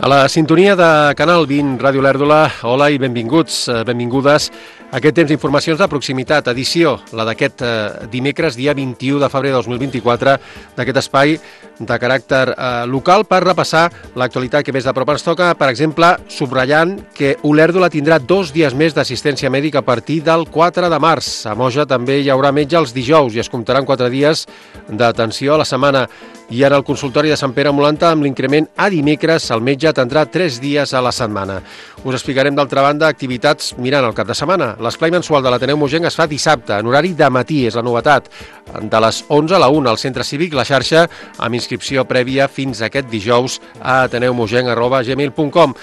A la sintonia de Canal 20, Ràdio Olèrdola, hola i benvinguts, benvingudes a aquest temps d'informacions de proximitat, edició, la d'aquest dimecres, dia 21 de febrer de 2024, d'aquest espai de caràcter local per repassar l'actualitat que més de prop ens toca, per exemple, subratllant que Olèrdola tindrà 2 dies més d'assistència mèdica a partir del 4 de març. A Moja també hi haurà metge els dijous i es comptaran 4 dies d'atenció a la setmana. I en el consultori de Sant Pere Molanta, amb l'increment a dimecres, el metge atendrà 3 dies a la setmana. Us explicarem, d'altra banda, activitats mirant el cap de setmana. L'esplai mensual de l'Ateneu Mogenc es fa dissabte, en horari de matí, és la novetat, de les 11 a la 1 al Centre Cívic La Xarxa, amb inscripció prèvia fins aquest dijous a ateneumogenc@gmail.com.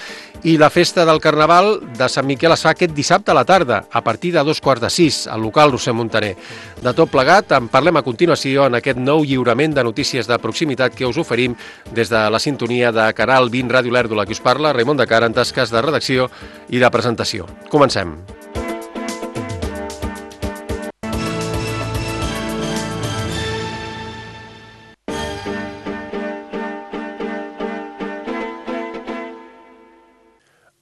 I la festa del Carnaval de Sant Miquel es fa aquest dissabte a la tarda, a partir de 2:45, al local Roser Montaner. De tot plegat, en parlem a continuació en aquest nou lliurament de notícies de proximitat que us oferim des de la sintonia de Canal 20 Ràdio Olèrdola, que us parla Raimon de Cara en tasques de redacció i de presentació. Comencem.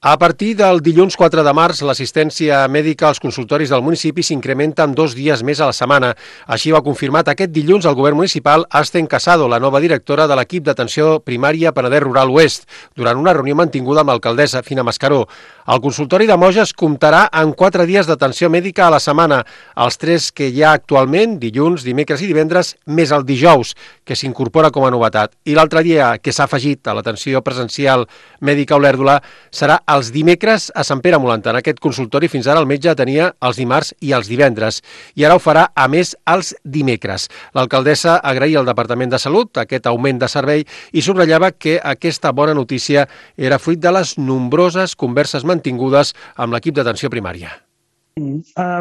A partir del dilluns 4 de març, l'assistència mèdica als consultoris del municipi s'incrementa en 2 dies més a la setmana. Així ho ha confirmat aquest dilluns el govern municipal Asten Casado, la nova directora de l'equip d'atenció primària Penedès Rural Oest, durant una reunió mantinguda amb l'alcaldessa Fina Mascaró. El consultori de Moja es comptarà amb 4 dies d'atenció mèdica a la setmana, els 3 que hi ha actualment, dilluns, dimecres i divendres, més el dijous, que s'incorpora com a novetat. I l'altre dia que s'ha afegit a l'atenció presencial mèdica a Olèrdola serà els dimecres a Sant Pere Molanta. En aquest consultori fins ara el metge tenia els dimarts i els divendres i ara ho farà a més els dimecres. L'alcaldessa agraïa al Departament de Salut aquest augment de servei i subratllava que aquesta bona notícia era fruit de les nombroses converses mantingudes amb l'equip d'atenció primària.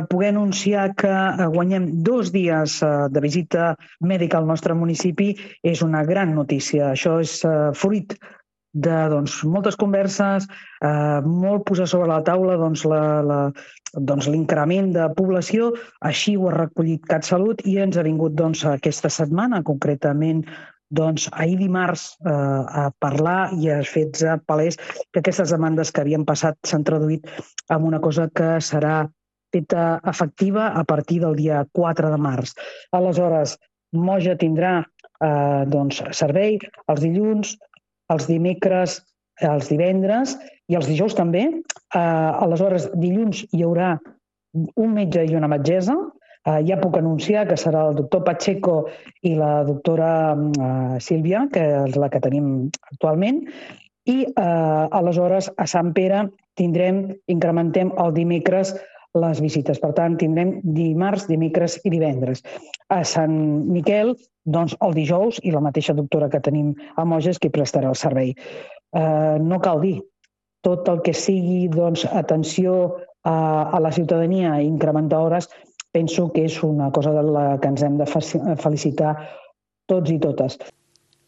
Poder anunciar que guanyem 2 dies de visita mèdica al nostre municipi és una gran notícia. Això és fruit de moltes converses, molt posar sobre la taula l'increment de població. Així ho ha recollit CatSalut i ens ha vingut aquesta setmana, concretament ahir dimarts, a parlar i a fer palès que aquestes demandes que havien passat s'han traduït en una cosa que serà feta efectiva a partir del dia 4 de març. Aleshores, Moja tindrà servei els dilluns, els dimecres, els divendres i els dijous també. Aleshores, dilluns hi haurà un metge i una metgessa. Ja puc anunciar que serà el doctor Pacheco i la doctora Sílvia, que és la que tenim actualment. I aleshores a Sant Pere incrementem el dimecres les visites. Per tant, tindrem dimarts, dimecres i divendres. A Sant Miquel, el dijous, i la mateixa doctora que tenim a Moja és qui prestarà el servei. No cal dir, tot el que sigui atenció a la ciutadania i incrementar hores, penso que és una cosa de la que ens hem de felicitar tots i totes.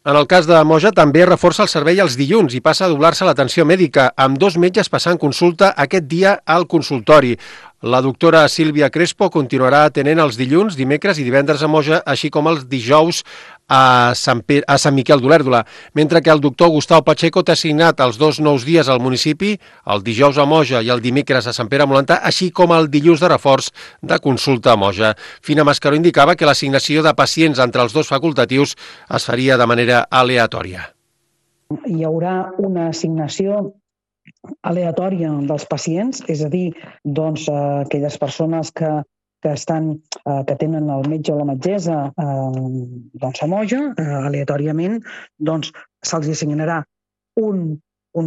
En el cas de Moja també reforça el servei els dilluns i passa a doblar-se l'atenció mèdica, amb 2 metges passant consulta aquest dia al consultori. La doctora Sílvia Crespo continuarà atenent els dilluns, dimecres i divendres a Moja, així com els dijous a Sant Miquel d'Olèrdola, mentre que el doctor Gustau Pacheco té assignat els 2 nous dies al municipi, el dijous a Moja i el dimecres a Sant Pere Molanta, així com el dilluns de reforç de consulta a Moja. Fina Mascaró indicava que l'assignació de pacients entre els 2 facultatius es faria de manera aleatòria. Hi haurà una assignació aleatòria dels pacients, és a dir, aquelles persones que tenen el metge o la metgessa a Moja, aleatòriament, se'ls assignarà un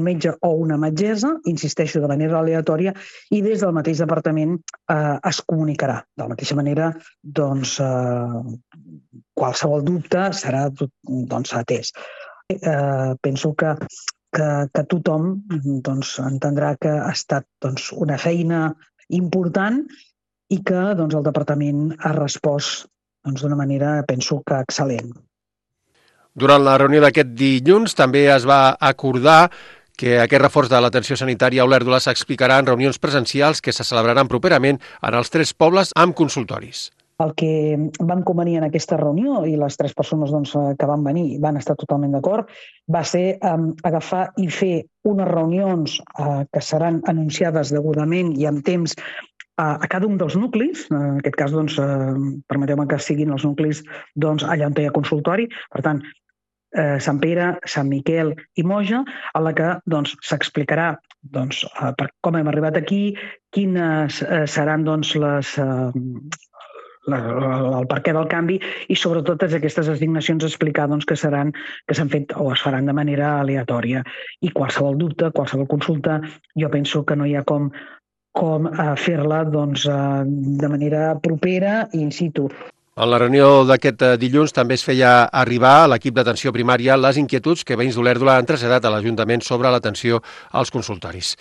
metge o una metgessa, insisteixo, de manera aleatòria, i des del mateix departament es comunicarà. De la mateixa manera, qualsevol dubte serà atès. Penso que tothom entendrà que ha estat una feina important i que el departament ha respost d'una manera, penso que excel·lent. Durant la reunió d'aquest dilluns també es va acordar que aquest reforç de l'atenció sanitària a Olèrdola s'explicarà en reunions presencials que se celebraran properament en els 3 pobles amb consultoris. El que vam convenir en aquesta reunió, i les 3 persones doncs, que van venir van estar totalment d'acord, va ser agafar i fer unes reunions que seran anunciades degudament i amb temps a cada un dels nuclis. En aquest cas, doncs, permeteu-me que siguin els nuclis doncs, allà on hi ha consultori. Per tant, Sant Pere, Sant Miquel i Moja, a la que doncs, s'explicarà doncs, com hem arribat aquí, quines seran doncs, el perquè del canvi i sobretot aquestes assignacions explicar doncs, que s'han fet o es faran de manera aleatòria. I qualsevol dubte, qualsevol consulta, jo penso que no hi ha com fer-la doncs, de manera propera i in situ. En la reunió d'aquest dilluns també es feia arribar a l'equip d'atenció primària les inquietuds que veïns d'Olèrdola han traslladat a l'Ajuntament sobre l'atenció als consultoris.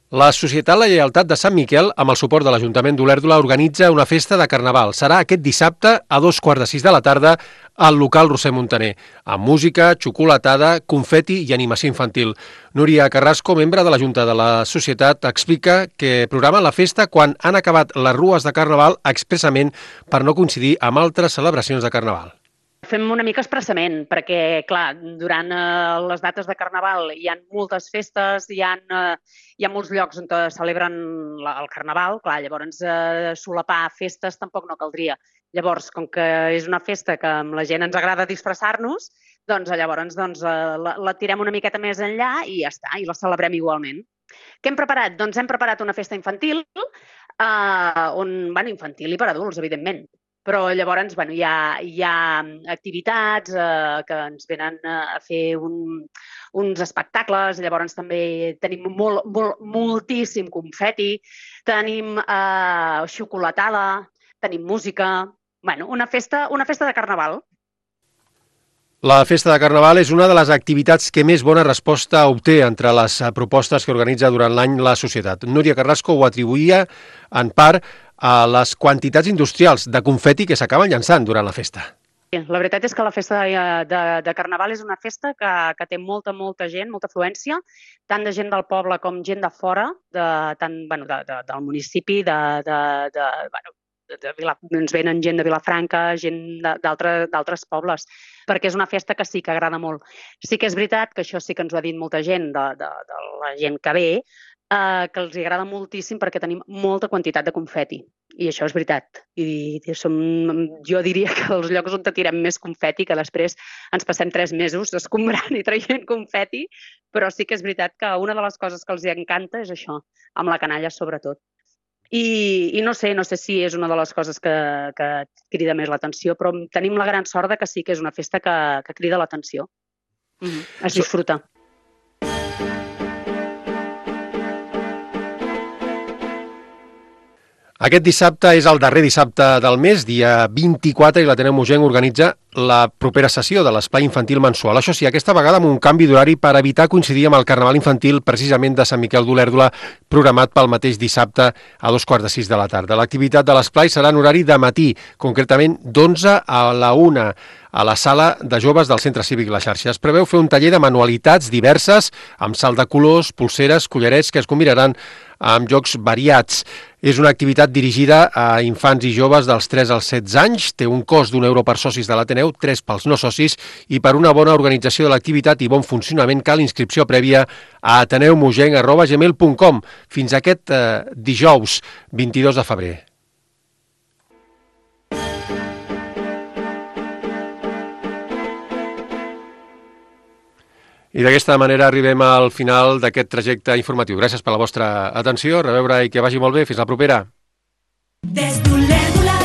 La Societat La Lleialtat de Sant Miquel, amb el suport de l'Ajuntament d'Olèrdola, organitza una festa de Carnaval. Serà aquest dissabte a 2:45 de la tarda al local Roser Montaner, amb música, xocolatada, confeti i animació infantil. Núria Carrasco, membre de la Junta de la Societat, explica que programen la festa quan han acabat les rues de Carnaval expressament per no coincidir amb altres celebracions de Carnaval. Fem una mica expressament, perquè, clar, durant les dates de Carnaval hi ha moltes festes, hi ha molts llocs on celebren el Carnaval, clar, llavors solapar festes tampoc no caldria. Llavors, com que és una festa que amb la gent ens agrada disfressar-nos, doncs llavors la tirem una miqueta més enllà i ja està, i la celebrem igualment. Què hem preparat? Doncs hem preparat una festa infantil, infantil i per adults, evidentment. Però llavors hi ha activitats que ens venen a fer uns espectacles, llavors també tenim moltíssim confeti, tenim xocolatada, tenim música, una festa de Carnaval. La festa de Carnaval és una de les activitats que més bona resposta obté entre les propostes que organitza durant l'any la societat. Núria Carrasco ho atribuïa en part a les quantitats industrials de confeti que s'acaben llançant durant la festa. La veritat és que la festa de Carnaval és una festa que té molta gent, molta afluència, tant de gent del poble com gent de fora, del municipi, ens venen gent de Vilafranca, gent d'altres pobles, perquè és una festa que sí que agrada molt. Sí que és veritat que això sí que ens ho ha dit molta gent de la gent que ve, que els agrada moltíssim perquè tenim molta quantitat de confeti. I això és veritat. Jo diria que els llocs on tirem més confeti, que després ens passem 3 mesos escombrant i traient confeti, però sí que és veritat que una de les coses que els encanta és això, amb la canalla sobretot. I no sé si és una de les coses que crida més l'atenció, però tenim la gran sort que sí que és una festa que crida l'atenció. Es disfruta. Aquest dissabte és el darrer dissabte del mes, dia 24, i l'Ateneu Mogenc organitza la propera sessió de l'Espai Infantil Mensual. Això sí, aquesta vegada amb un canvi d'horari per evitar coincidir amb el Carnaval Infantil precisament de Sant Miquel d'Olèrdola, programat pel mateix dissabte a 2:45 de la tarda. L'activitat de l'esplai serà en horari de matí, concretament d'11 a la 1, a la sala de joves del Centre Cívic La Xarxa. Es preveu fer un taller de manualitats diverses, amb salt de colors, pulseres, collarets, que es combinaran amb jocs variats. És una activitat dirigida a infants i joves dels 3 als 16 anys, té un cost d'€1 per socis de l'Ateneu, 3 pels no socis, i per una bona organització de l'activitat i bon funcionament cal inscripció prèvia a ateneumogenc@gmail.com fins aquest dijous 22 de febrer. I d'aquesta manera arribem al final d'aquest trajecte informatiu. Gràcies per la vostra atenció, a reveure i que vagi molt bé. Fins la propera. Des d'Olèrdola.